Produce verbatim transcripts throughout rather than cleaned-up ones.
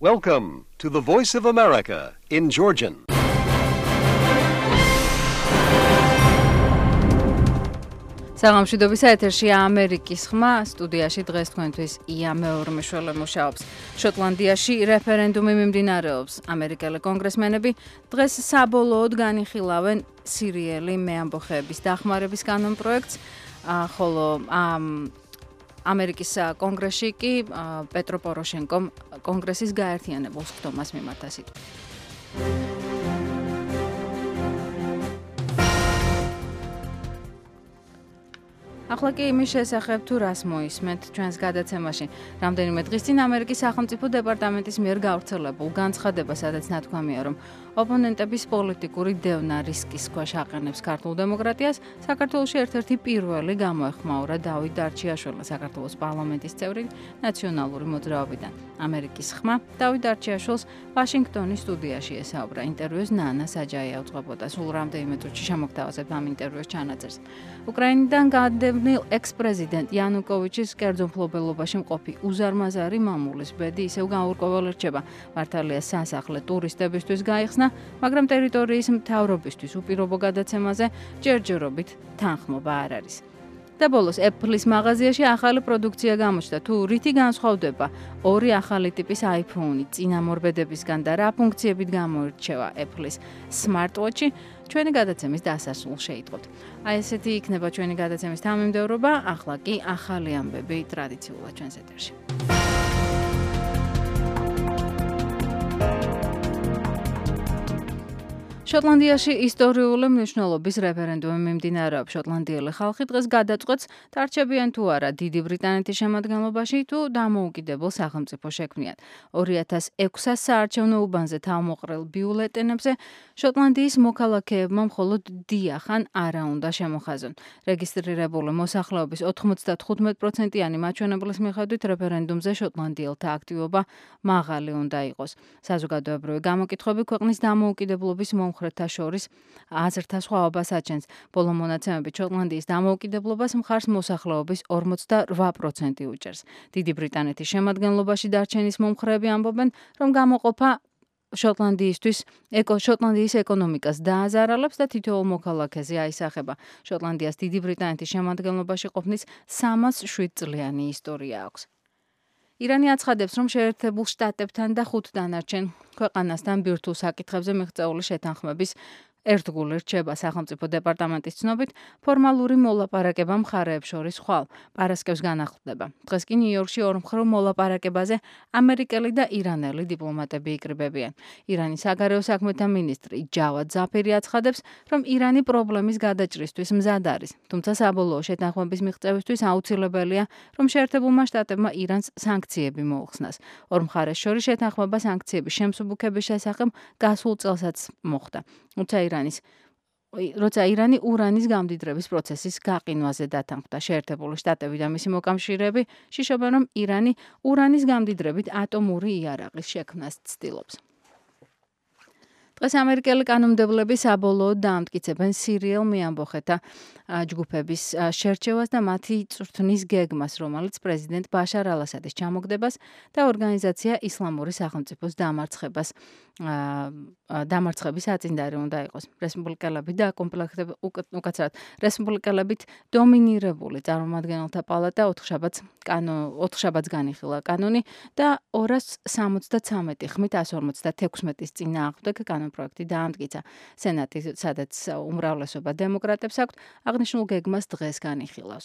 Welcome to the Voice of America in Georgian. საღამოშიდობის ეთერშია ამერიკის ხმა, სტუდიაში დღეს თქვენთვის ია მეორე მეშვეულე მუშაობს. შოტლანდიაში რეფერენდუმი მიმდინარეობს. ამერიკელი კონგრესმენები დღეს საბოლოოდ განიხილავენ სირიელი მეამბოხეების დახმარების კანონპროექტს, ხოლო ამერიკის კონგრესში კი პეტრო პოროშენკომ კონგრესის გაერთიანებულს ხდომას მიმართა სიტყვა. ახლა კი იმის შესახებ თუ რას მოისმენთ ჩვენს გადაცემაში. რამდენიმე დღის წინ ამერიკის სახელმწიფო დეპარტამენტის მიერ გავრცელებულ განცხადება, სადაც ნათქვამია, რომ ოპონენტების პოლიტიკური დევნა რისკის ქვეშ აყენებს ქართულ დემოკრატიას, საქართველოში ერთ-ერთი პირველი გამოეხმაურა დავით დარჩიაშვილი, საქართველოს პარლამენტის წევრი ნაციონალური მოძრაობიდან. ამერიკის ხმა დავით დარჩიაშვილს ვაშინგტონის სტუდიაში ესაუბრა. ინტერვიუს ნანა საჯაია უძღვებოდა. სულ რამდენიმე წუთში შემოგთავაზებ ამ ინტერვიუს ჩანაწერს. უკრაინიდან გადმდებნილ ექს-პრეზიდენტ იანუკოვიჩის კერძო მფლობელობაში მყოფი უზარმაზარი მამულის ბედი ისევ გაურკვეველ რჩება. მართალია სასახლე ტურისტებისთვის გაიხსნა, მაგრამ ტერიტორიის მთავრობისთვის უპირობო გადაცემაზე ჯერჯერობით თანხმობა არ არის. და ბოლოს Apple-ის მაღაზიაში ახალი პროდუქცია გამოჩნდა. თუ რითი განსხვავდება ორი ახალი ტიპის iPhone-ი წინამორბედებისგან და რა ფუნქციებით გამოირჩევა Apple-ის smartwatch-ი, ჩვენი გადაცემის დასასრულს შეიტყობთ. აი ესეთი იქნება ჩვენი გადაცემის თანმიმდევრობა, ახლა კი ახალი ამბები ტრადიციულად ჩვენს ეთერში. შოტლანდიაში ისტორიული მნიშვნელობის რეფერენდუმი მიმდინარეობს. შოტლანდიელი ხალხი დღეს გადაწყვეტს, დარჩებიან თუ არა დიდი ბრიტანეთის შემადგენლობაში, თუ დამოუკიდებელ სახელმწიფო შექმნიან. ორი ათას ექვსას საარჩევნო უბანზე თავმოყრილ ბიულეტენებზე შოტლანდიის მოქალაქეებმა მხოლოდ დიახან არა უნდა შემოხაზონ. რეგისტრირებული მოსახლეობის ოთხმოცდათხუთმეტ პროცენტიანი მაჩვენებლის მიხედვით რეფერენდუმზე შოტლანდიელთა აქტივობა მაღალი უნდა იყოს. საზოგადოებრივი გამოკითხვები ქვეყნის დამოუკიდებლობის მომხრეთა შორის აზრთა სხვაობას აჩენს. ბოლო მონაცემებით შოტლანდიის დამოუკიდებლობას მხარს მოსახლეობის ორმოცდარვა პროცენტი უჭერს. დიდი ბრიტანეთის შემადგენლობაში დარჩენის მომხრეები ამბობენ, რომ გამოყოფა შოტლანდიისთვის ეკო შოტლანდიის ეკონომიკას დააზარალებს და თითოეულ მოქალაქეზე აისახება. შოტლანდიას დიდი ბრიტანეთის შემადგენლობაში ყოფნის სამას შვიდ წლიანი ისტორია აქვს. ირანი აცხადებს, რომ შეერთებულ შტატებთან და ხუთ დანარჩენ ქვეყანასთან ბირთვულ საკითხებზე მიღწეული შეთანხმების ერთგული რჩება. სახელმწიფო დეპარტამენტის ცნობით, ფორმალური მოლაპარაკება მხარეებს შორის ხვალ პარასკევს განახლდება. დღეს კი ნიუ-იორკში ორმხრივ მოლაპარაკებაზე ამერიკელი და ირანელი დიპლომატები იკრიბებიან. ირანის საგარეო საქმეთა მინისტრი ჯავად ზაფირი აცხადებს, რომ ირანი პრობლემის გადაჭრისთვის მზად არის. თუმცა საბოლოო შეთანხმების მიღწევისთვის აუცილებელია, რომ შეერთებულმა შტატებმა ირანს სანქციები მოუხსნას. ორ მხარეს შორის შეთანხმება სანქციების შემსუბუქების შესახებ გასულ წელსაც მოხდა. თუმცა ირანის როცა ირანი ურანის გამდიდრების პროცესის გაყინვაზე დათანხმდა. შეერთებული შტატები და მისი მოკავშირეები შიშობენ, რომ ირანი ურანის გამდიდრებით ატომური იარაღის შექმნას ცდილობს. დღეს ამერიკელი კანონმდებლები საბოლოოდ დაამტკიცებენ სირიელ მეამბოხეთა ჯგუფების შერჩევას და მათი წვრთნის გეგმას, რომელიც პრეზიდენტ ბაშარ ალ-ასადის ჩამოგდებას და ორგანიზაცია ისლამური სახელმწიფოს დამარცხებას დამარცხების აწინდარი უნდა იყოს. რესპუბლიკელები და კომპლექტები უკაცრავად რესპუბლიკელებით დომინირებული წარმომადგენელთა პალატა ოთხშაბათს კანო ოთხშაბათს განიხილა კანონი და ორას სამოცდათრამეტი ხმით ასი ორმოცდათექვსმეტის წინააღმდეგ კანონპროექტი დაამტკიცა. სენატი, სადაც უმრავლესობა დემოკრატებს აქვთ, აღნიშნულ გეგმას დღეს განიხილავს.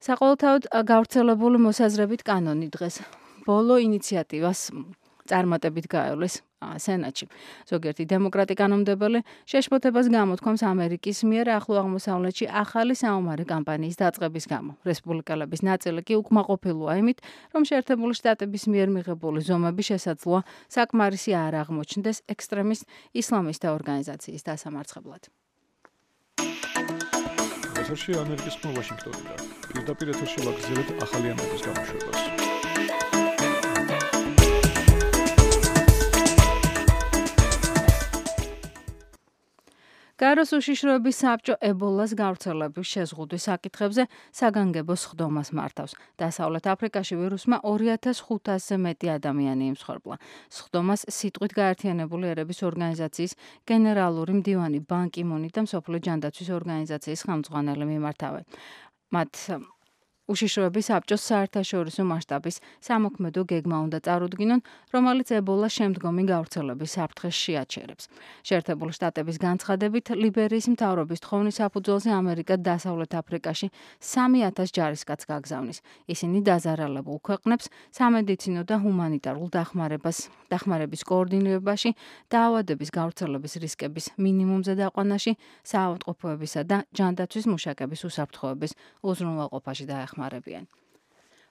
საყოველთაოდ გავრცელებული მოსაზრებით კანონი დღეს ბოლო ინიციატივას წარმატებით გაევლეს სენატში. ზოგიერთი დემოკრატი კანონმდებელი შეშფოთებას გამოთქვამს ამერიკის მიერ ახლო აღმოსავლეთში ახალი საომარი კამპანიის დაწყების გამო. რესპუბლიკელების ნაწილი კი უკმაყოფილოა იმით, რომ შეერთებული შტატების მიერ მიღებული ზომები შესაძლოა საკმარისი არ აღმოჩნდეს ექსტრემისტ ისლამისტთა ორგანიზაციის დასამარცხებლად. ეთერში ამერიკის ხმა ვაშინგტონიდან. პირდაპირ ეთერში ვაგრძელებთ ახალი ამბების გამოშვებას. გაეროს უშიშროების საბჭო ებოლას გავრცელების შეზღუდვის საკითხებზე საგანგებო სხდომას მართავს. დასავლეთ აფრიკაში ვირუსმა ორი ათას ხუთასზე მეტი ადამიანი იმსხვერპლა. სხდომას სიტყვით გაერთიანებული ერების ორგანიზაციის გენერალური მდივანი ბან კი მუნი და მსოფლიო ჯანდაცვის ორგანიზაციის ხელმძღვანელი მიმართავენ. მათ უშიშროების საბჭოს საერთაშორისო მასშტაბის სამოქმედო გეგმა უნდა წარუდგინონ, რომელიც ებოლას შემდგომი გავრცელების საფრთხეს შეაჩერებს. შეერთებული შტატების განცხადებით, ლიბერიის მთავრობის თხოვნით საფუძველზე ამერიკა დასავლეთ აფრიკაში სამი ათას ჯარისკაცს გაგზავნის. ისინი დაზარალებულ ქვეყნებს სამედიცინო და ჰუმანიტარულ დახმარებას, დახმარების კოორდინირებაში, დაავადების გავრცელების რისკების მინიმუმზე დაყვანაში, საავადმყოფოებისა და ჯანდაცვის მუშაკების უსაფრთხოების უზრუნველყოფაში დაეხმარებიან.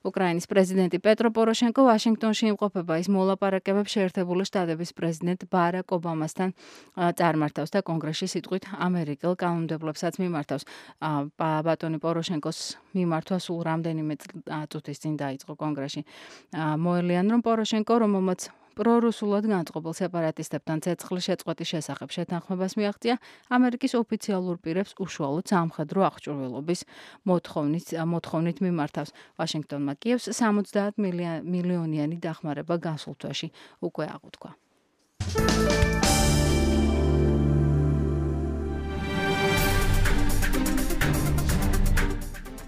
უკრაინის პრეზიდენტი პეტრო პოროშენკო ვაშინგტონში იმყოფება. ის მოლაპარაკებებს შეერთებული შტატების პრეზიდენტ ბარაკ ობამასთან წარმართავს და კონგრესში სიტყვით ამერიკელ კანონმდებლობსაც მიმართავს. ბატონი პოროშენკოს მიმართვა სულ რამდენიმე წუთის წინ დაიწყო კონგრესში. მოელიან, რომ პოროშენკო, რომელმაც პრორუსულად განწყობილ სეპარატისტებთან ცეცხლის შეწყვეტის შესახებ შეთანხმებას მიაღწია, ამერიკის ოფიციალურ პირებს უშუალოდ სამხედრო აღჭურვილობის მოთხოვნით მოთხოვნით მიმართავს. ვაშინგტონმა კიევს სამოცდაათ მილიონიანი დახმარება გასულ თვეში უკვე აღუთქვა.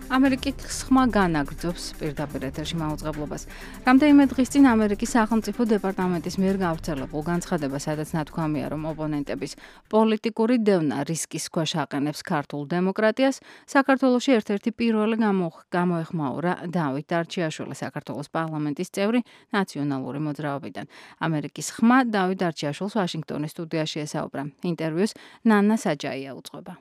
ამერიკის ხმა განაგრძობს პირდაპირ ეთერში მაუწყებლობას. რამდენიმე დღის წინ ამერიკის სახელმწიფო დეპარტამენტის მიერ გავრცელებულ განცხადებას, სადაც ნათქვამია, რომ ოპონენტების პოლიტიკური დევნა რისკის ქვეშ აყენებს ქართულ დემოკრატიას, საქართველოში ერთ-ერთი პირველი გამოეხმაურა დავით დარჩიაშვილი, საქართველოს პარლამენტის წევრი ნაციონალური მოძრაობიდან. ამერიკის ხმა დავით დარჩიაშვილს ვაშინგტონის სტუდიაში ესაუბრა. ინტერვიუს ნანა საჯაია უძღვება.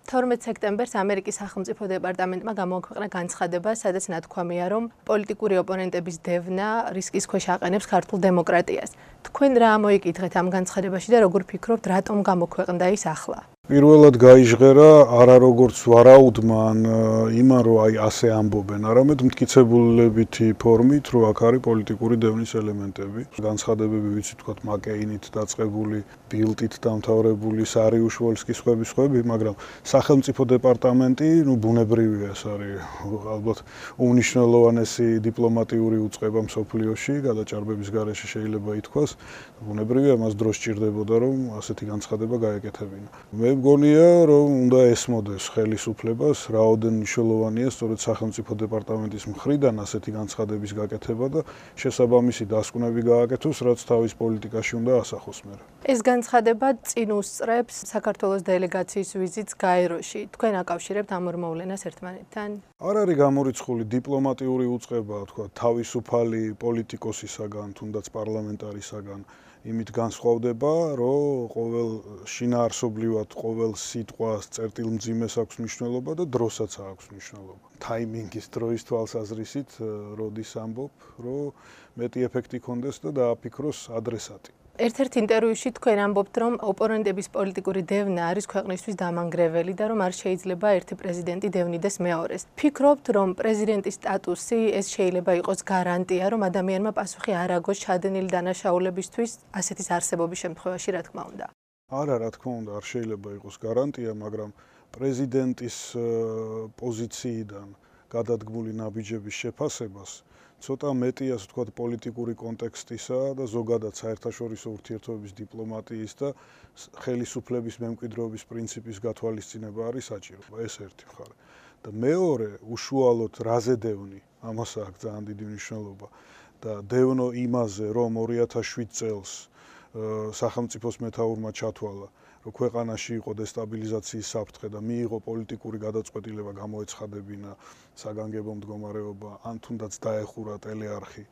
თორმეტ სექტემბერს ამერიკის სახელმწიფო დეპარტამენტმა გამოაქვეყნა განცხადება, სადაც ნათქვამია, რომ პოლიტიკური ოპონენტების დევნა რისკის ქვეშ აყენებს ქართულ დემოკრატიას. თქვენ რა მოიკითხეთ ამ განცხადებაში და როგორ ფიქრობთ, რატომ გამოქვეყნდა ის ახლა? პირველად გაიჟღერა არა როგორც ვარაუდმა ან იმან, რომ აი ასე ამბობენ, არამედ მტკიცებულებითი ფორმით, რომ აქ არის პოლიტიკური დევნის ელემენტები. განცხადებები ვიცით, თქვათ, მაკეინით დაწყებული, ბილდით დამთავრებული, სარიუშ-ვოლსკის ხვები ხვები, მაგრამ სახელმწიფო დეპარტამენტი, ну, ბუნებრივია ეს არის ალბათ უმნიშვნელოვანესი დიპლომატიური უწყება მსოფლიოში, გადაჭარბების გარეშე შეიძლება ითქვას. ბუნებრივია, მას დრო სჭირდებოდა, რომ ასეთი განცხადება გაეკეთებინა. მე მგონია, რომ უნდა ესმოდეს ხელისუფლებას, რაოდენ მნიშვნელოვანია სწორედ სახელმწიფო დეპარტამენტის მხრიდან ასეთი განცხადების გაკეთება და შესაბამისი დასკვნები გააკეთოს, რაც თავის პოლიტიკაში უნდა ასახოს მერე. ეს განცხადება წინ უსწრებს საქართველოს დელეგაციის ვიზიტს გაეროში. თქვენ აკავშირებთ ამ ორ მოვლენას ერთმანეთთან? არ არის გამორიცხული დიპლომატიური უწყება, თქვა, თავისუფალი პოლიტიკოსისაგან, თუნდაც პარლამენტარისაგან. იმით განსხვავდება, რომ ყოველ შინაარსობრივად ყოველ სიტყვას წერტილმძიმეს აქვს მნიშვნელობა და დროსაც აქვს მნიშვნელობა. ტაიმინგის დროის თვალსაზრისით, როდის ამბობ, რომ მეტი ეფექტი ქონდეს და დააფიქროს ადრესატი. ერთ-ერთ ინტერვიუში თქვენ ამბობთ, რომ ოპონენტების პოლიტიკური დევნა არის ქვეყნისთვის დამანგრეველი და რომ არ შეიძლება ერთი პრეზიდენტი დევნიდეს მეორეს. ფიქრობთ, რომ პრეზიდენტის სტატუსი ეს შეიძლება იყოს გარანტია, რომ ადამიანმა პასუხი არ აგოს ჩადენილი დანაშაულებისთვის ასეთის არსებობის შემთხვევაში, რა თქმა უნდა? არა, რა თქმა უნდა, არ შეიძლება იყოს გარანტია, მაგრამ პრეზიდენტის პოზიციიდან გადადგმული ნაბიჯების შეფასებას ცოტა მეტი, ასე ვთქვათ, პოლიტიკური კონტექსტისა და ზოგადად საერთაშორისო ურთიერთობების დიპლომატიის და ხელისუფლების მემკვიდრეობის პრინციპის გათვალისწინება არის საჭირო. ეს ერთი მხარე. და მეორე, უშუალოდ რაზე დევნი, ამას აქვს ძალიან დიდი მნიშვნელობა. და დევნო იმაზე, რომ ორი ათას შვიდ წელს სახელმწიფოს მეთაურმა ჩათვალა, რომ ქვეყანაში იყო დესტაბილიზაციის საფრთხე და მიიღო პოლიტიკური გადაწყვეტილება გამოეცხადებინა საგანგებო მდგომარეობა, ან თუნდაც დაეხურა ტელეარხი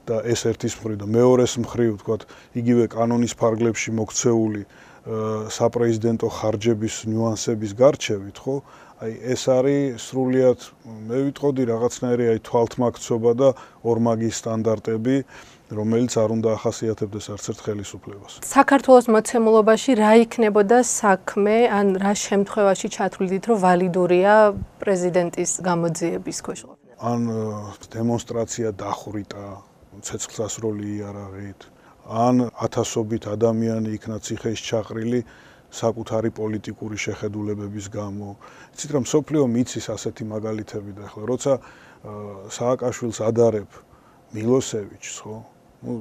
და ეს ერთის მხრივ და მეორეს მხრივ, ვთქვათ, იგივე კანონის ფარგლებში მოქცეული საპრეზიდენტო ხარჯების ნიუანსების გარჩევით, ხო? აი ეს არის სრულიად, მე ვიტყოდი რაღაცნაირი აი თვალთმაქცობა და ორმაგის სტანდარტები, რომელიც არ უნდა ახასიათებდეს არც ერთ ხელისუფლებას. საქართველოს მოცემულობაში რა იქნებოდა საქმე, ან რა შემთხვევაში ჩათვლიდით, რომ ვალიდურია პრეზიდენტის გამოძიების ქვეშ ყოფნა? ან დემონსტრაცია დახვრიტა, ცეცხლსასროლი იარაღით, ან ათასობით ადამიანი იქნა ციხეში ჩაყრილი საკუთარი პოლიტიკური შეხედულებების გამო. იცით რა, მსოფლიო მიცის ასეთი მაგალითები და ახლა როცა სააკაშვილს ადარებ მილოსევიჩს, ხო? ну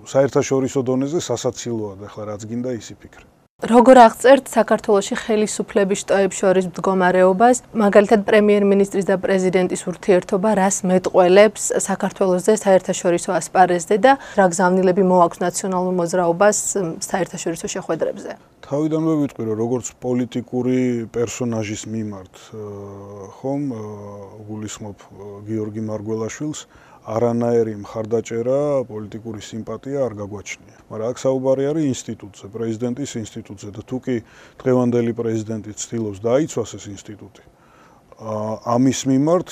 საერთაშორისო დონეზე სასაცილოა და ახლა რაც გინდა ისი ფიქრე. როგორ აღწერთ საქართველოში ხელისუფლების შტოებს შორის მდგომარეობას, მაგალითად პრემიერ-მინისტრის და პრეზიდენტის ურთიერთობა რას მეტყველებს საქართველოსზე საერთაშორისო ასპარეზზე და რა გზავნილები მოაქვს ნაციონალურ მოძრაობას საერთაშორისო შეხვედრებზე? თავიდანვე ვიტყვი, რომ როგორც პოლიტიკური პერსონაჟის მიმართ ხომ გულისხმობ გიორგი მარგველაშვილს, არანაირი მხარდაჭერა, პოლიტიკური სიმპათია არ გაგვაჩნია. მაგრამ აქ საუბარი არის ინსტიტუტზე, პრეზიდენტის ინსტიტუტზე და თუკი დღევანდელი პრეზიდენტი ცდილობს დაიცვას ეს ინსტიტუტი, ამის მიმართ,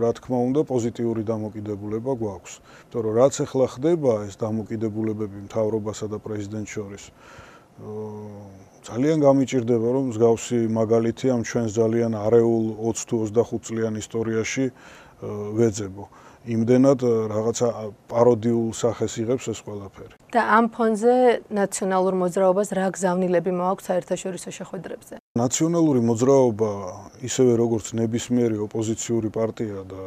რა თქმა უნდა, პოზიტიური დამოკიდებულება გვაქვს. იმიტომ რომ რაც ახლა ხდება ეს დამოკიდებულებები მთავრობასა და პრეზიდენტს შორის, ძალიან გამიჭირდება, რომ მსგავსი მაგალითი ამ ჩვენს ძალიან არეულ ოცი თუ ოცდახუთ წლიან ისტორიაში ვეძებო. იმდენად რაღაცა პაროდიულ სახეს იღებს ეს ყველაფერი. და ამ ფონზე ნაციონალურ მოძრაობას რა გზავნილები მოაქვს საერთაშორისო შეხვედრებზე? ნაციონალური მოძრაობა, ისევე როგორც ნებისმიერი ოპოზიციური პარტია და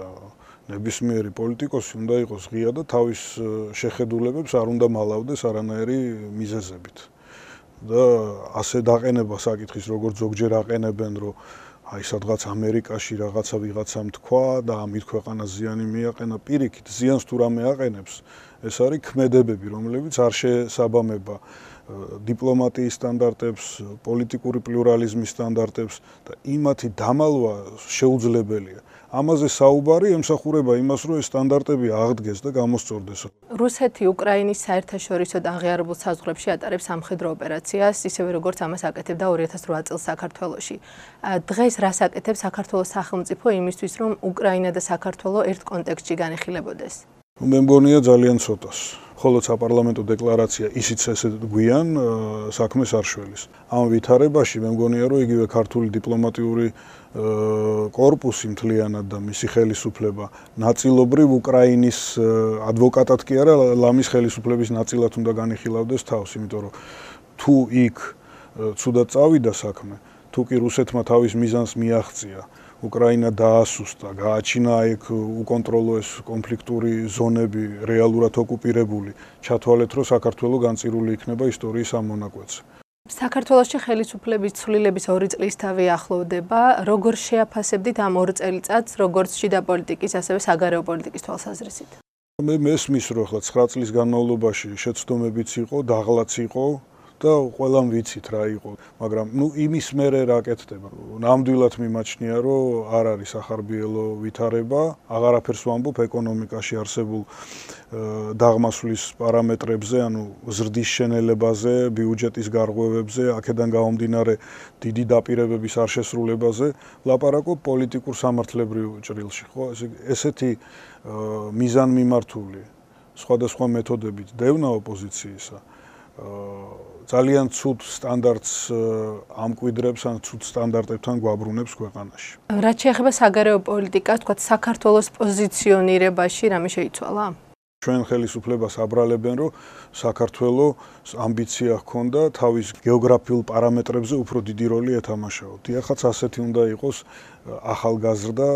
ნებისმიერი პოლიტიკოსი უნდა იყოს ღია და თავის შეხედულებებს არ უნდა მალავდეს არანაირი მიზეზებით. და ასე დაყენება საკითხის, როგორც ზოგჯერ აყენებენ, რომ აი სადღაც ამერიკაში რაღაცა ვიღაცამ თქვა და ამით ქვეყანას ზიანი მიაყენა, პირიქით ზიანს თუ რამე აყენებს, ეს არის ქმედებები, რომლებიც არ შესაბამება დიპლომატიის სტანდარტებს, პოლიტიკური პლურალიზმის სტანდარტებს და იმათი დამალვა შეუძლებელია. ამაზე საუბარი ემსახურება იმას, რომ ეს სტანდარტები აღდგეს და გამოსწორდეს. რუსეთი უკრაინის საერთაშორისო აღიარებულ საზღვრებში ატარებს სამხედრო ოპერაციას, ისევე როგორც ამას აკეთებდა ორი ათას რვა წელს საქართველოში. დღეს რას აკეთებს საქართველოს სახელმწიფო იმისთვის, რომ უკრაინა და საქართველო ერთ კონტექსტში განეხილებოდეს? მე მგონია ძალიან ცოტას. ხოლო საპარლამენტო დეკლარაცია ისიც ესე გვიან საქმეს არ შველის. ამ ვითარებაში მე მგონია, რომ იგივე ქართული დიპლომატიური კორპუსი მთლიანად და მისი ხელისუფლება ნაწილობრივ უკრაინის ადვოკატად კი არა, ლამის ხელისუფლების ნაწილად უნდა განიხილავდეს თავს, იმიტომ რომ თუ იქ ცუდად წავიდა საქმე, თუ კი რუსეთმა თავის მიზანს მიაღწია, უკრაინა დაასუსტა, გააჩინა იქ უკონტროლო ეს კონფლიქტური ზონები რეალურად ოკუპირებული, ჩათვალეთ, რომ საქართველო განწირული იქნება ისტორიის ამ მონაკვეთზე. საქართველოში ხელისუფლების ცვლილების ორი წლისთავი ახლოვდება, როგორ შეაფასებდით ამ ორ წელიწადს, როგორც შიდა პოლიტიკის, ასევე საგარეო პოლიტიკის თვალსაზრისით? მე მესმის, რომ ახლა ცხრა წლის განმავლობაში შეცდომებიც იყო, დაღლაც იყო და ყველამ ვიცით რა იყო, მაგრამ ნუ იმის მერე რა კეთდება. ნამდვილად მიმაჩნია, რომ არ არის ახარბიელო ვითარება, აღარაფერს ვამბობ ეკონომიკაში არსებულ დაღმასვლის პარამეტრებზე, ანუ ზრდის შენელებაზე, ბიუჯეტის გარღვევებზე, აქედან გამომდინარე დიდი დაპირებების არ შესრულებაზე, ლაპარაკობ პოლიტიკურ სამართლებრივ ჭრილში, ხო? ესეთი მიზანმიმართული სხვადასხვა მეთოდებით დევნა ოპოზიციისა ძალიან ცუდ სტანდარტს ამკვიდრებს ან ცუდ სტანდარტებთან გვაბრუნებს ქვეყანაში. რაც შეეხება საგარეო პოლიტიკას, თქვა საქართველოს პოზიციონირებაში რამე შეიცვალა? ჩვენ ხელისუფლებას აბრალებენ, რომ საქართველოს ამბიცია ჰქონდა თავის გეოგრაფიულ პარამეტრებზე უფრო დიდი როლი ეთამაშაო. დიახაც ასეთი უნდა იყოს ახალგაზრდა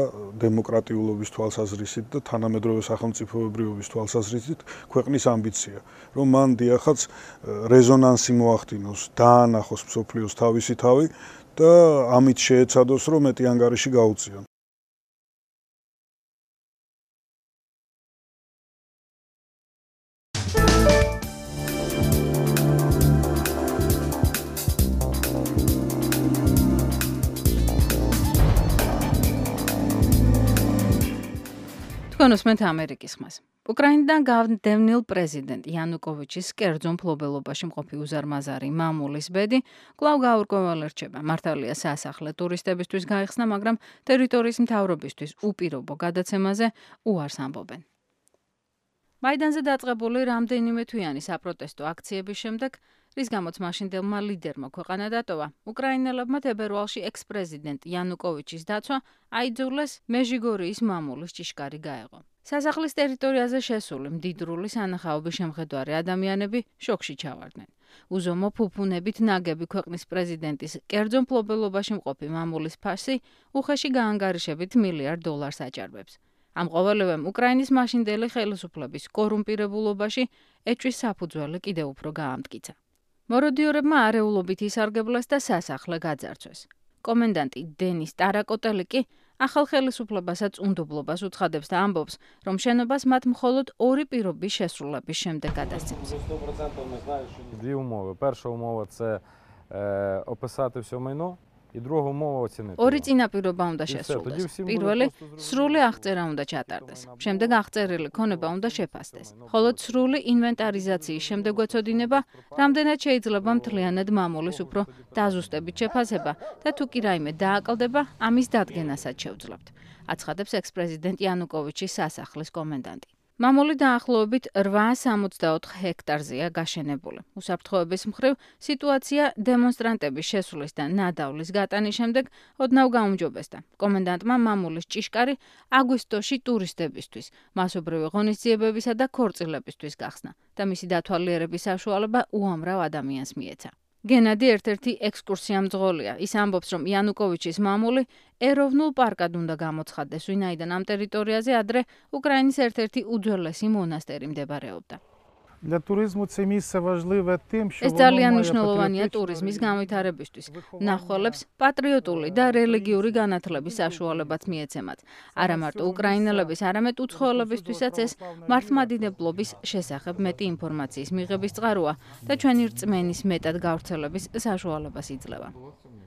დემოკრატიულობის თვალსაზრისით და თანამედროვე სახელმწიფოებრიობის თვალსაზრისით ქვეყნის ამბიცია, რომ მან დიახაც რეზონანსი მოახდინოს, დაანახოს მსოფლიოს თავისი თავი და ამით შეეცადოს, რომ მეტი ანგარიში გაუწიონ. კონსმენტ ამერიკის ხმას. უკრაინიდან განდევნილ პრეზიდენტ იანუკოვიჩის კერძო მფლობელობაში მყოფი უზარმაზარი მამულის ბედი კვლავ გაურკვეველ რჩება. მართალია სასახლე ტურისტებისთვის გაიხსნა, მაგრამ ტერიტორიის მთავრობისთვის უპირობო გადაცემაზე უარს ამბობენ. მაიდანზე დაწყებული რამდენიმე თვიანი საპროტესტო აქციების შემდეგ, რის გამოც მაშინდელმა ლიდერმა ქვეყანა დატოვა, უკრაინელებმა თებერვალში ექს-პრეზიდენტ იანუკოვიჩის დაცვა აიძულეს მეჟიგორიის მამულის ჭიშკარი გაეღო. სასახლის ტერიტორიაზე შესული მდიდრული სანახაობის შემხედვარი ადამიანები შოკში ჩავარდნენ. უზომო ფუფუნებით ნაგები ქვეყნის პრეზიდენტის კერძო მფლობელობაში მყოფი მამულის ფასი უხეში გაანგარიშებით მილიარდ დოლარს აჭარბებს. ამ ყოველივემ უკრაინის მაშინდელი ხელისუფლების კორუმპირებულობაში ეჭვის საფუძველი კიდევ უფრო გაამტკიცა. მოროდიორებმა არეულობით ისარგებლეს და სასახლე გაძარცვეს. კომენდანტი დენის ტარაკოტელი კი ახალ ხელისუფლებასაც უნდობლობას უცხადებს და ამბობს, რომ შენობას მათ მხოლოდ ორი პირობის შესრულების შემდეგ გადასცემს. Дві умови. Перша умова – це описати все майно. І друга умова оцінити. ორი წინაპირობა უნდა შესრულდეს. პირველი, სრული აღწერა უნდა ჩატარდეს. შემდეგ აღწერილი ქონება უნდა შეფასდეს. ხოლო სრული ინვენტარიზაციის შემდეგ ეწოდინება, რამდენად შეიძლება მთლიანად მამულის უფრო დაზუსტებით შეფასება და თუ კი რაიმე დააკლდება, ამის დადგენასაც შევძლებთ. აცხადებს ექს-პრეზიდენტ იანუკოვიჩის სასახლის კომენდანტი. მამული დაახლოებით რვაას სამოცდაოთხ ჰექტარზეა გაშენებული. უსაფრთხოების მხრივ სიტუაცია დემონსტრანტების შესulis და ნადავლის გატანის შემდეგ ოდნავ გაუმჯობესდა. კომენდანტმა მამულის ჭიშკარი აგვისტოში ტურისტებისთვის, მასობრივი ღონისძიებებისა და ქორწილებისთვის გახსნა და მისი დათვალიერების საშუალება უამრავ ადამიანს მიეცა. გენადი ერთ-ერთი ექსკურსიამძღოლია. ის ამბობს, რომ იანუკოვიჩის მამული ეროვნულ პარკად უნდა გამოცხადდეს, ვინაიდან ამ ტერიტორიაზე ადრე უკრაინის ერთ-ერთი უძველესი მონასტერი მდებარეობდა. Для туризму це місце важливе тим, що ეს ძალიან მნიშვნელოვანია ტურიზმის განვითარებისთვის. მნახველებს პატრიოტული და რელიგიური განათლების საშუალებაც მიეცემათ. არა მარტო უკრაინელების, არამედ უცხოელებისთვისაც ეს მართლმადიდებლობის შესახებ მეტი ინფორმაციის მიღების წყაროა და ჩვენი რწმენის მეტად გავრცელების საშუალებას იძლევა.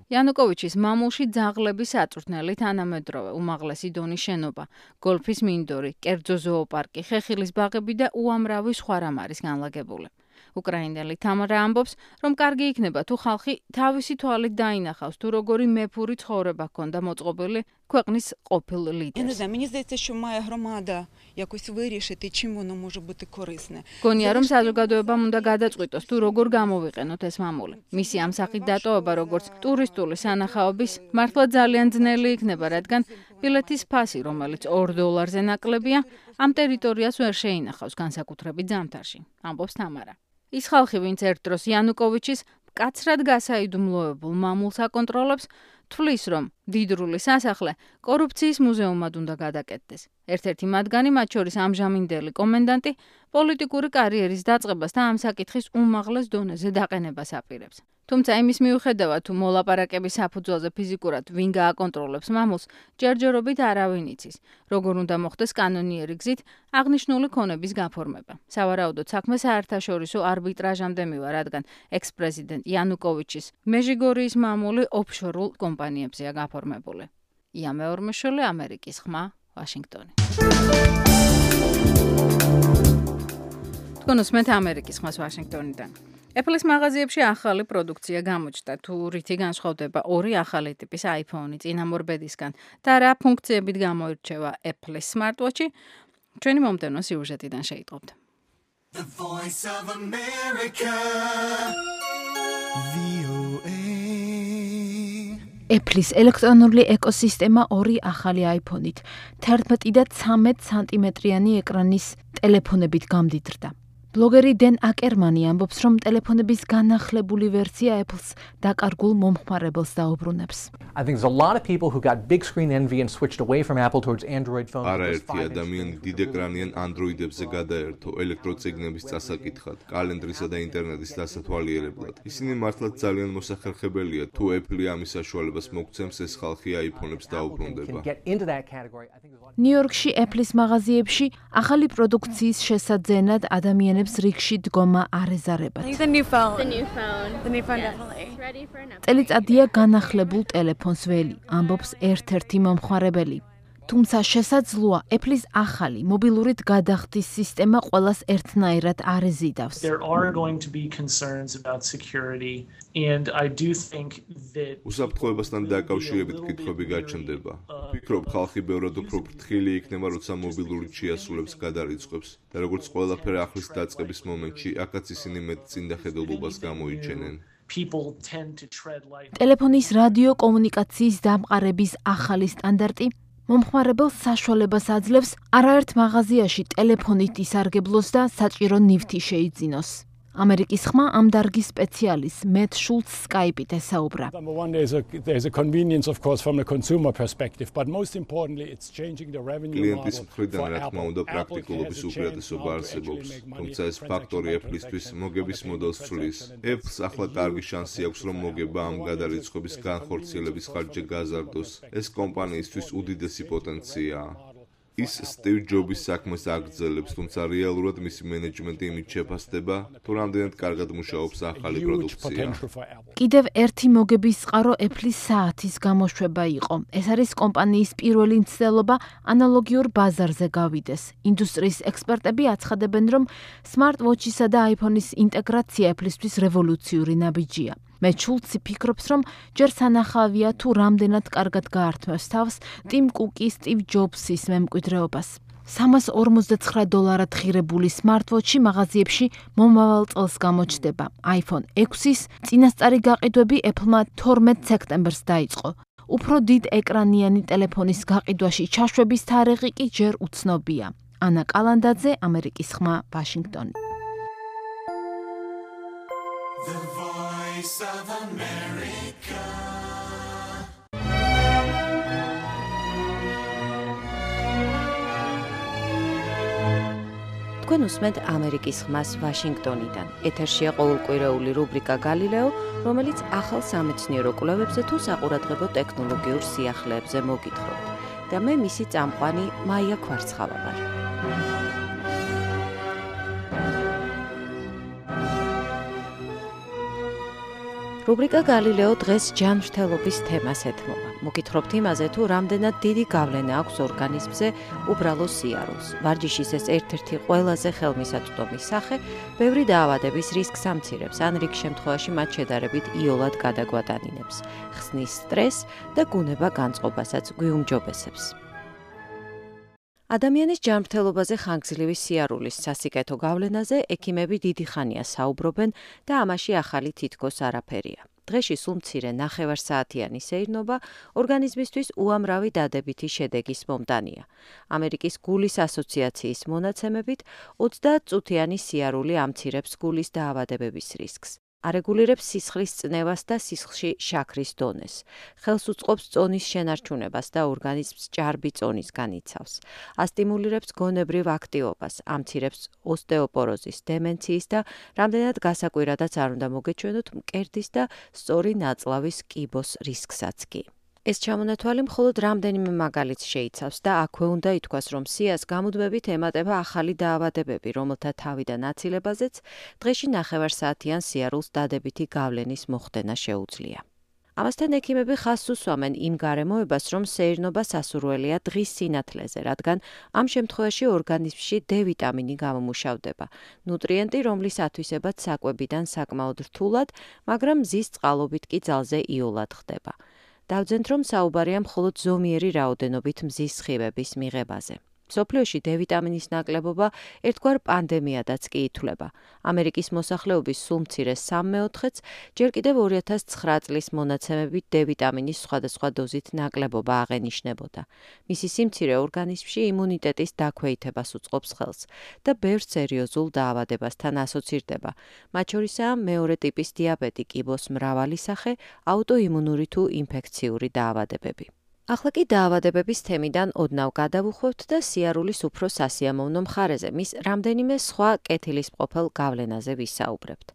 იანუკოვიჩის მამულში ძაღლების აწვრთნელი თანამედროვე უმაღლესი დონის შენობა, გოლფის მინდორი, კერძო ზოოპარკი, ხეხილის ბაღები და უამრავი სხვა რამ არის განლაგებული. უკრაინელი თამარა ამბობს, რომ კარგი იქნება თუ ხალხი თავისი თვალით დაინახავს, თუ როგორი მეფური ცხოვრება ჰქონდა მოწყობილი ქვეყნის ყოფილ ლიდერს. Мені здається, що має громада якось вирішити, чим воно може бути корисне. გონია, რომ საზოგადოებამ უნდა გადაწყვიტოს, თუ როგორ გამოვიყენოთ ეს მამული. მისი ამ სახით დატოვება, როგორც ტურისტული სანახაობის, მართლა ძალიან ძნელი იქნება, რადგან ბილეთის ფასი, რომელიც ორ დოლარზე ნაკლებია, ამ ტერიტორიას ვერ შეინახავს განსაკუთრებით ზამთარში, ამბობს თამარა. ის ხალხი, ვინც ერთ დროს იანუკოვიჩის მკაცრად გასაიდუმლოებულ მამულს აკონტროლებს, თვლის, რომ დიდრული სასახლე კორუფციის მუზეუმად უნდა გადაკეთდეს. ერთ-ერთი მათგანი, მათ შორის ამჟამინდელი კომენდანტი, პოლიტიკური კარიერის დაწყებას და ამ საკითხის უმაღლეს დონეზე დაყენებას აპირებს. თუმცა იმის მიუხედავად, თუ მოლაპარაკების საფუძველზე ფიზიკურად ვინ გააკონტროლებს მამულს, ჯერჯერობით არავინ იცის, როგორ უნდა მოხდეს კანონიერი გზით აღნიშნული ქონების გაფორმება. სავარაუდოდ საქმე საერთაშორისო არბიტრაჟამდე მივა, რადგან ექს-პრეზიდენტ იანუკოვიჩის მეჟიგორიის მამული ოფშორულ კომპანიებზეა გაფორმებული. ია მეორმეშვილი, ამერიკის ხმა, ვაშინგტონი. თქვენ უსმენთ ამერიკის ხმას ვაშინგტონიდან. Apple-ის მაღაზიებში ახალი პროდუქცია გამოჩნდა, თუ რითი განსხვავდება ორი ახალი ტიპის iPhone-ი წინამორბედისგან და რა ფუნქციებით გამოირჩევა Apple-ის smartwatch-ი, ჩვენი მომდევნო სიუჟეტიდან შეიტყობთ. The Voice of America V O A Apple-ის ელექტრონული ეკოსისტემა ორი ახალი iPhone-ით, თერთმეტი და ცამეტ სანტიმეტრიანი ეკრანის ტელეფონებით გამდიდრდა. ბლოგერი დენ აკერმანი ამბობს, რომ ტელეფონების განახლებული ვერსია Apple-ს დაკარგულ მომხმარებელს დაუბრუნებს. I think there's a lot of people who got big screen envy and switched away from Apple towards Android phones. არაერთი ადამიანი დიდ ეკრანიან Android-ებზე გადაერთო ელექტროციგნების წასაკითხად, კალენდრისა და ინტერნეტის დასათვალიერებლად. ისინი მართლაც ძალიან მოსახერხებელია, თუ Apple ამის საშუალებას მოგცემს, ეს ხალხი iPhone-ებს დაუბრუნდება. ნიუ-იორკში Apple-ის მაღაზიებში ახალი პროდუქციის შესაძენად ადამიანებს რიგში დგომა არ ეზარებათ. The new phone. The new phone. The new phone definitely. Ready for an upgrade. წელიწადია განახლებულ ტელეფონს ველი, ამბობს ერთ-ერთი მომხმარებელი. თუმცა შესაძლოა Apple-ის ახალი მობილურით გადახდის სისტემა ყველას ერთნაირად არ ეზიდავს. There are going to be concerns about security and I do think that უსაფრთხოებასთან დაკავშირებით კითხვები გაჩნდება. ვფიქრობ, ხალხი ბევრად უფრო ფრთხილი იქნება, როცა მობილურით შეასრულებს გადარიცხვებს და როგორც ყველაფერი ახლის დაწყების მომენტში, აქაც ისინი მეტ წინდახედულობას გამოიჩენენ. People tend to tread light. ტელეფონის რადიო კომუნიკაციის დამყარების ახალი სტანდარტი მომხმარებელს საშუალებას აძლევს არაერთ მაღაზიაში ტელეფონით ისარგებლოს და საჭირო ნივთი შეიძინოს. ამერიკის ხმა ამ დარგის სპეციალისტ მეტ შულც სკაიპით ესაუბრა. Klientis მხრიდან რა თქმა უნდა პრაქტიკულობის უპირატესობა არსებობს, თუმცა ეს ფაქტორი Apple-ისთვის მოგების მოდელს ცვლის. Apple-ს ახლა კარგი შანსი აქვს, რომ მოგება ამ გადარიცხვის განხორციელების ხარჯზე გაზარდოს. ეს კომპანიისთვის უდიდესი პოტენციაა. ის სტივ ჯობის საქმეს აგრძელებს, თუმცა რეალურად მისი მენეჯმენტი იმით შეფასდება, თუ რამდენად კარგად მუშაობს ახალი პროდუქცია. კიდევ ერთი მოგების წყარო Apple-ის საათის გამოშვება იყო. ეს არის კომპანიის პირველი მცდელობა ანალოგიურ ბაზარზე გავიდეს. ინდუსტრიის ექსპერტები აცხადებენ, რომ Smart Watch-ისა და iPhone-ის ინტეგრაცია Apple-ისთვის რევოლუციური ნაბიჯია. მეტ შულცი ფიქრობს, რომ ჯერ სანახავია თუ რამდენად კარგად გაართმევს თავს ტიმ კუკის, სტივ ჯობსის მემკვიდრეობას. სამას ორმოცდაცხრა დოლარად ღირებული smartwatch-ი მაღაზიებში მომავალ წელს გამოჩნდება. iPhone ექვსის წინასწარი გაყიდვები Apple-მა თორმეტ სექტემბერს დაიწყო. უფრო დიდ ეკრანიანი ტელეფონის გაყიდვაში ჩაშვების თარიღი კი ჯერ უცნობია. ანა კალანდაძე, ამერიკის ხმა, ვაშინგტონი. The Voice of America. თქვენ უსმენთ ამერიკის ხმას ვაშინგტონიდან. ეთერშია ყოველკვირეული რუბრიკა გალილეო, რომელიც ახალ სამეცნიერო კვლევებზე თუ საყურადღებო ტექნოლოგიურ სიახლეებზე მოგითხრობთ. და მე მისი წამყვანი მაია ქვარცხავა ვარ. რუბრიკა გალილეო დღეს ჯანმრთელობის თემას ეთმობა. მოგითხრობთ იმაზე, თუ რამდენად დიდი გავლენა აქვს ორგანიზმზე უბრალო სიარულს. ვარჯიშის ეს ერთ-ერთი ყველაზე ხელმისაწვდომი სახე, ბევრი დაავადების რისკს ამცირებს, ან რიგ შემთხვევაში მათ შედარებით იოლად გადაგვატანინებს, ხსნის სტრესს და გუნება განწყობასაც გვიუმჯობესებს. ადამიანის ჯანმრთელობაზე ხანგრძლივი სიარულის სასიკეთო გავლენაზე ექიმები დიდი ხანია საუბრობენ და ამაში ახალი თითქოს არაფერია. დღეში სულ მცირე ნახევარსაათიანი სეირნობა ორგანიზმისთვის უამრავი დადებითი შედეგის მომტანია. ამერიკის გულის ასოციაციის მონაცემებით ოცდაათწუთიანი სიარული ამცირებს გულის დაავადებების რისკს. არეგულირებს სისხლის წნევას და სისხლში შაქრის დონეს. ხელს უწყობს წონის შენარჩუნებას და ორგანიზმს ჭარბი წონის განიცავს. ასტიმულირებს გონებრივ აქტივობას, ამცირებს ოსტეოპოროზის, დემენციის და რამდენად გასაკვირადაც არ უნდა მოგეჩვენოთ მკერდის და სწორი ნაწლავის კიბოს რისკსაც კი. ეს ჩამონათვალი მხოლოდ რამდენიმე მაგალითს შეიცავს და აქვე უნდა ითქვას, რომ სიას გამუდმებით ემატება ახალი დაავადებები, რომელთა თავიდან აცილებაზეც დღეში ნახევარსაათიან სიარულს დადებითი გავლენის მოხდენა შეუძლია. ამასთან ექიმები ხაზს უსვამენ იმ გარემოებას, რომ სეირნობა სასურველია დღის სინათლეზე, რადგან ამ შემთხვევაში ორგანიზმში D ვიტამინი გამომუშავდება, ნუტრიენტი, რომლის ათვისებაც საკვებიდან საკმაოდ რთულად, მაგრამ მზის წყალობით კი ძალზე იოლად ხდება. დავძენთ, რომ საუბარია მხოლოდ ზომიერი რაოდენობით მზის სხივების მიღებაზე. მსოფლიოში D ვიტამინის ნაკლებობა ერთგვარ პანდემიადაც კი ითვლება. ამერიკის მოსახლეობის სულ მცირე სამ მეოთხედს ჯერ კიდევ ორი ათას ცხრა წლის მონაცემებით D ვიტამინის სხვადასხვა დოზით ნაკლებობა აღენიშნებოდა. მისი სიმცირე ორგანიზმში იმუნიტეტის დაქვეითებას უწყობს ხელს და ბევრ სერიოზულ დაავადებასთან ასოცირდება. მათ შორისაა მეორე ტიპის დიაბეტი, კიბოს მრავალი სახე, აუტოიმუნური თუ ინფექციური დაავადებები. ახლა კი დაავადებების თემიდან ოდნავ გადავუხვევთ და სიარულის უფრო სასიამოვნო მხარეზე, მის რამდენიმე სხვა კეთილისმყოფელ გავლენაზე ვისაუბრებთ.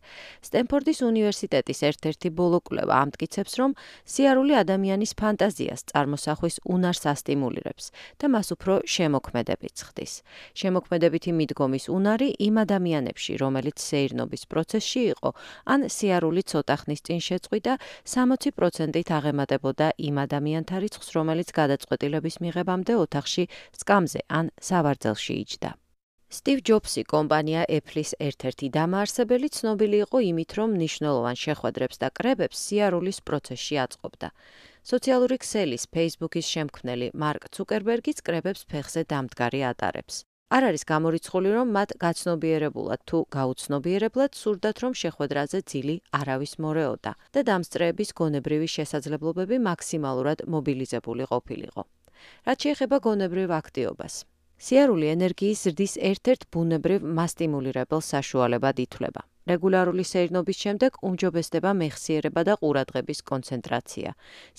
სტენფორდის უნივერსიტეტის ერთ-ერთი ბოლო კვლევა ამტკიცებს, რომ სიარული ადამიანის ფანტაზიას, წარმოსახვის უნარს ასტიმულირებს და მას უფრო შემოქმედებით ხდის. შემოქმედებითი მიდგომის უნარი იმ ადამიანებში, რომელიც სეირნობის პროცესში იყო, ან სიარული ცოტა ხნის წინ შეწყვიტა, სამოცი პროცენტით აღემატებოდა იმ ადამიანთა რიცხვს, რომელიც გადაწყვეტილების მიღებამდე ოთახში სკამზე ან სავარძელში იჯდა. სტივ ჯობსი, კომპანია Apple-ის ერთ-ერთი დამაარსებელი, ცნობილი იყო იმით, რომ მნიშვნელოვან შეხვედრებს და კრებებს სიარულის პროცესში აწყობდა. სოციალური ქსელის Facebook-ის შემქმნელი მარკ ცუკერბერგიც კრებებს ფეხზე დამდგარი ატარებს. არ არის გამორიცხული, რომ მათ გაცნობიერებულად თუ გაუცნობიერებლად სურდათ, რომ შეხვედრაზე ძილი არავის მორეოდა და დამსწრეების გონებრივი შესაძლებლობები მაქსიმალურად მობილიზებული ყოფილიყო. რაც შეეხება გონებრივ აქტივობას. სიარული ენერგიის ზრდის ერთ-ერთ ბუნებრივ მასტიმულირებელ საშუალებად ითვლება. რეგულარული სეირნობის შემდეგ უმჯობესდება მეხსიერება და ყურადღების კონცენტრაცია.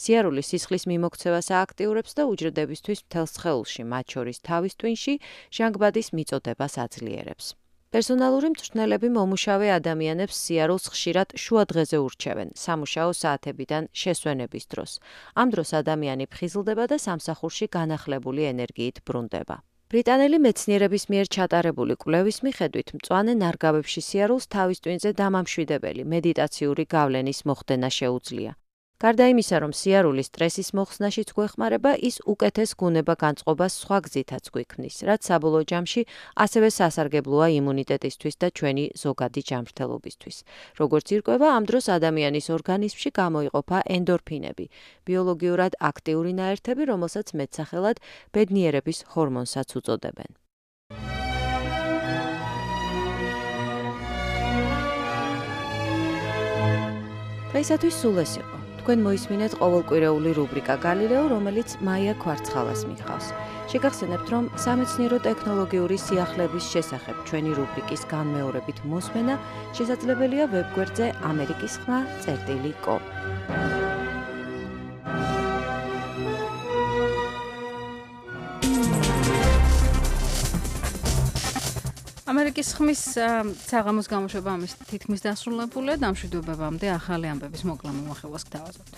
სიარული სისხლის მიმოქცევას ააქტიურებს და უჯრედებისთვის მთელს სხეულში, მათ შორის თავის ტვინში, ჟანგბადის მიწოდებას აძლიერებს. პერსონალური მწვრთნელები მომუშავე ადამიანებს სიარულს ხშირად შუა დღეზე ურჩევენ, სამუშაო საათებიდან შესვენების დროს. ამ დროს ადამიანი ფხიზლდება და სამსახურში განახლებული ენერგიით ბრუნდება. ბრიტანელი მეცნიერების მიერ ჩატარებული კვლევის მიხედვით, მწვანე ნარგავებში სიარულს თავის ტვინზე დამამშვიდებელი მედიტაციური გავლენის მოხდენა შეუძლია. გარდა იმისა, რომ სიარული სტრესის მოხსნაშიც გვეხმარება, ის უკეთეს გუნება განწყობას სხვა გზითაც გვიქმნის, რაც საბოლოო ჯამში ასევე სასარგებლოა იმუნიტეტისთვის და ჩვენი ზოგადი ჯანმრთელობისთვის. როგორც ირკვევა, ამ დროს ადამიანის ორგანიზმში გამოიყოფა ენდორფინები, ბიოლოგიურად აქტიური ნაერთები, რომელსაც მეტსახელად ბედნიერების ჰორმონსაც უწოდებენ. დღეისათვის სულ ეს იყო. თქვენ მოისმინეთ ყოველკვირეული რუბრიკა გალილეო, რომელიც მაია ქვარცხალას მიხავს. შეგახსენებთ, რომ სამეცნიერო ტექნოლოგიური სიახლეების შესახებ ჩვენი რუბრიკის განმეორებით მოსმენა შესაძლებელია ვებგვერდზე ამერიკის ხმა წერტილი კომ. ამერიკის ხმის საღამოს გამოშვება ამის თითქმის დასრულებულია. დამშვიდობებამდე ახალი ამბების მოკლა მომახევას გთავაზობთ.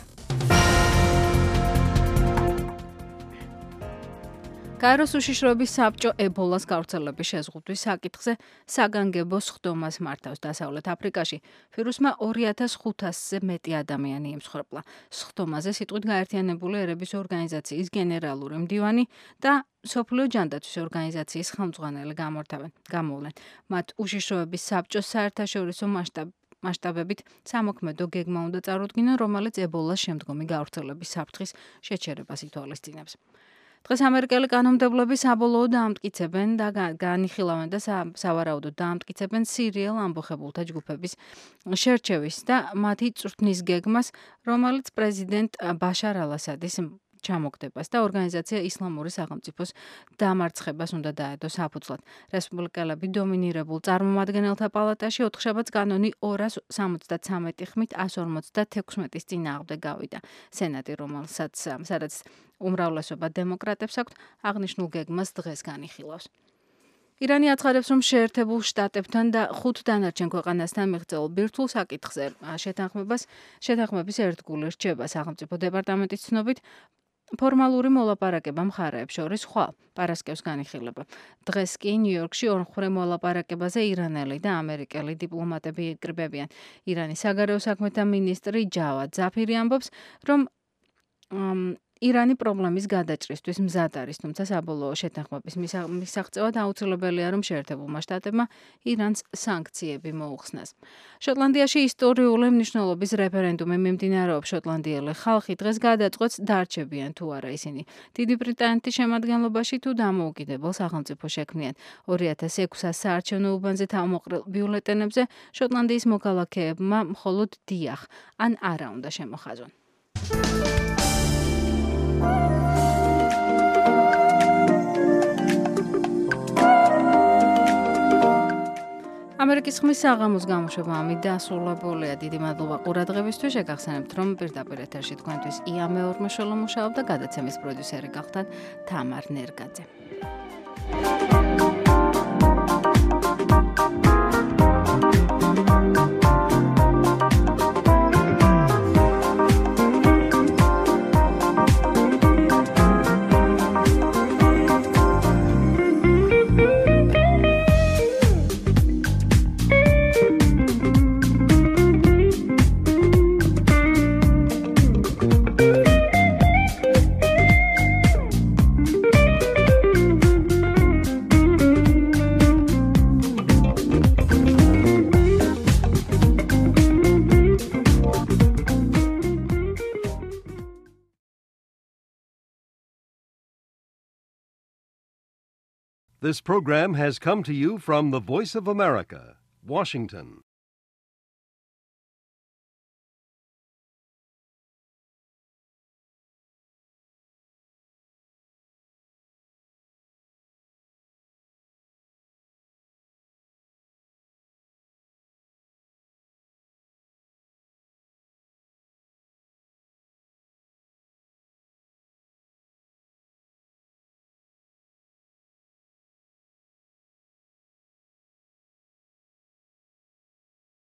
გაეროს უშიშროების საბჭო ებოლას გავრცელების შეზღუდვის საკითხზე საგანგებო სხდომას მართავს დასავლეთ აფრიკაში. ვირუსმა ორი ათას ხუთასზე მეტი ადამიანი იმსხვერპლა. სხდომაზე სიტყვით გაერთიანებული ერების ორგანიზაციის გენერალური მდივანი და სოფლიო ჯანდაცვის ორგანიზაციის ხელმძღვანელი გამოვლენ. მათ უშიშროების საბჭოს საერთაშორისო მასშტაბებით სამოქმედო გეგმა უნდა წარუდგინონ, რომელიც ებოლას შემდგომი გავრცელების საფრთხის შეჩერებას ითვალისწინებს. დღეს ამერიკელი კანონმდებლები საბოლოოდ დაამტკიცებენ და განიხილავენ და სავარაუდოდ დაამტკიცებენ სირიელ ამბოხებულთა ჯგუფების შერჩევის და მათი წვრთნის გეგმას, რომელიც პრეზიდენტ ბაშარ ალ-ასადის ჩამოგდებას და ორგანიზაცია ისლამური სახელმწიფოს დამარცხებას უნდა დაედო საფუძვლად. რესპუბლიკელები დომინირებულ წარმომადგენელთა პალატაში ოთხშაბათს კანონი ორას სამოცდათრამეტი ხმით ასს ორმოცდათექვსმეტის წინააღმდეგ გავიდა. სენატი, რომელსაც სადაც უმრავლესობა დემოკრატებს აქვთ, აღნიშნულ გეგმას დღეს განიხილავს. ირანი აცხადებს, რომ შეერთებულ შტატებთან და ხუთ დანარჩენ ქვეყანასთან მიღწეულ ბირთვულ საკითხზე შეთანხმებას შეთანხმების ერთგული რჩება. სახელმწიფო დეპარტამენტის ცნობით, ფორმალური მოლაპარაკება მხარეებს შორის ხვალ პარასკევს განიხილება. დღეს კი ნიუ-იორკში ორმხრივ მოლაპარაკებაზე ირანელი და ამერიკელი დიპლომატები იკრიბებიან. ირანის საგარეო საქმეთა მინისტრი ჯავად ზაფირი ამბობს, რომ ირანი პრობლემის გადაჭრისთვის მზად არის, თუმცა საბოლოო შეთანხმების მისაღწევად აუცილებელია, რომ შეერთებულმა შტატებმა ირანს სანქციები მოუხსნას. შოტლანდიაში ისტორიული მნიშვნელობის რეფერენდუმი მიმდინარეობს. შოტლანდიელი ხალხი დღეს გადაწყვეტს, დარჩებიან თუ არა ისინი დიდი ბრიტანეთის შემადგენლობაში თუ დამოუკიდებელ სახელმწიფოს შექმნიან. ორი ათას ექვსას საარჩევნო უბანზე თავმოყრილ ბიულეტენებზე შოტლანდიის მოქალაქეებმა მხოლოდ დიახ ან არა უნდა შემოხაზონ. ამერიკის ხმის საღამოს გამოშვება ამით დასრულებულია. დიდი მადლობა ყურადღებისთვის. შეგახსენებთ, რომ პირდაპირ ეთერში თქვენთვის ია მეორმეშველო მუშაობდა, გადაცემის პროდიუსერი გახდათ თამარ ნერგაძე. This program has come to you from the Voice of America, Washington.